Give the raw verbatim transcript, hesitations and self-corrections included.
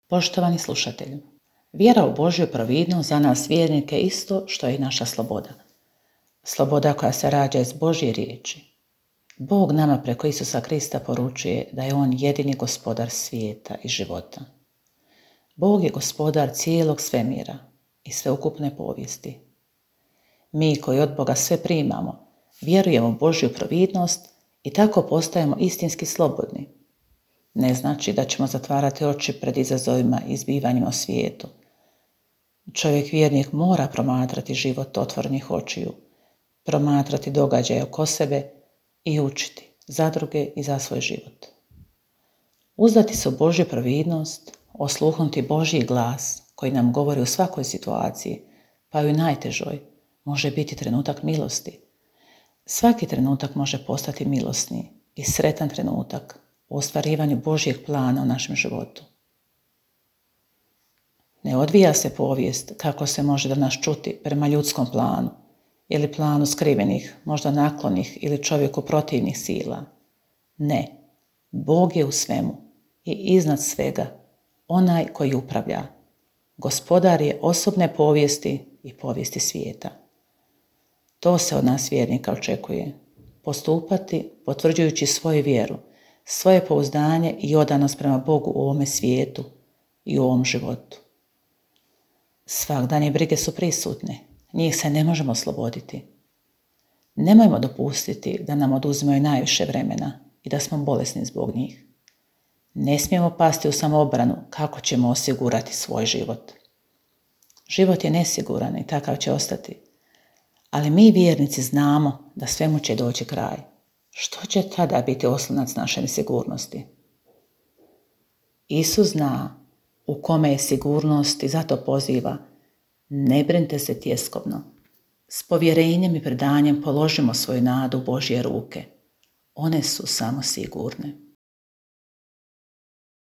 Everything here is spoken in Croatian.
Poštovani slušatelju, vjera u Božju providnost za nas vjernike je isto što je i naša sloboda. Sloboda koja se rađa iz Božje riječi. Bog nama preko Isusa Krista poručuje da je On jedini gospodar svijeta i života. Bog je gospodar cijelog svemira i sveukupne povijesti. Mi koji od Boga sve primamo, vjerujemo u Božju providnost i tako postajemo istinski slobodni. Ne znači da ćemo zatvarati oči pred izazovima i zbivanjima u svijetu. Čovjek vjernik mora promatrati život otvorenih očiju, promatrati događaje oko sebe i učiti za druge i za svoj život. Uzdati se u Božju providnost, osluhnuti Božji glas koji nam govori u svakoj situaciji, pa i u najtežoj, može biti trenutak milosti. Svaki trenutak može postati milosni i sretan trenutak u ostvarivanju Božjeg plana u našem životu. Ne odvija se povijest kako se može danas čuti prema ljudskom planu ili planu skrivenih, možda naklonih ili čovjeku protivnih sila. Ne, Bog je u svemu i iznad svega onaj koji upravlja. Gospodar je osobne povijesti i povijesti svijeta. To se od nas vjernika očekuje. Postupati potvrđujući svoju vjeru, svoje pouzdanje i odanost prema Bogu u ovome svijetu i u ovom životu. Svagdanje brige su prisutne, njih se ne možemo osloboditi. Nemojmo dopustiti da nam oduzimaju najviše vremena i da smo bolesni zbog njih. Ne smijemo pasti u samoobranu kako ćemo osigurati svoj život. Život je nesiguran i takav će ostati, ali mi vjernici znamo da svemu će doći kraj. Što će tada biti oslonac naše sigurnosti? Isus zna u kome je sigurnost i zato poziva: ne brinite se tjeskovno. S povjerenjem i predanjem položimo svoju nadu u Božje ruke. One su samo sigurne.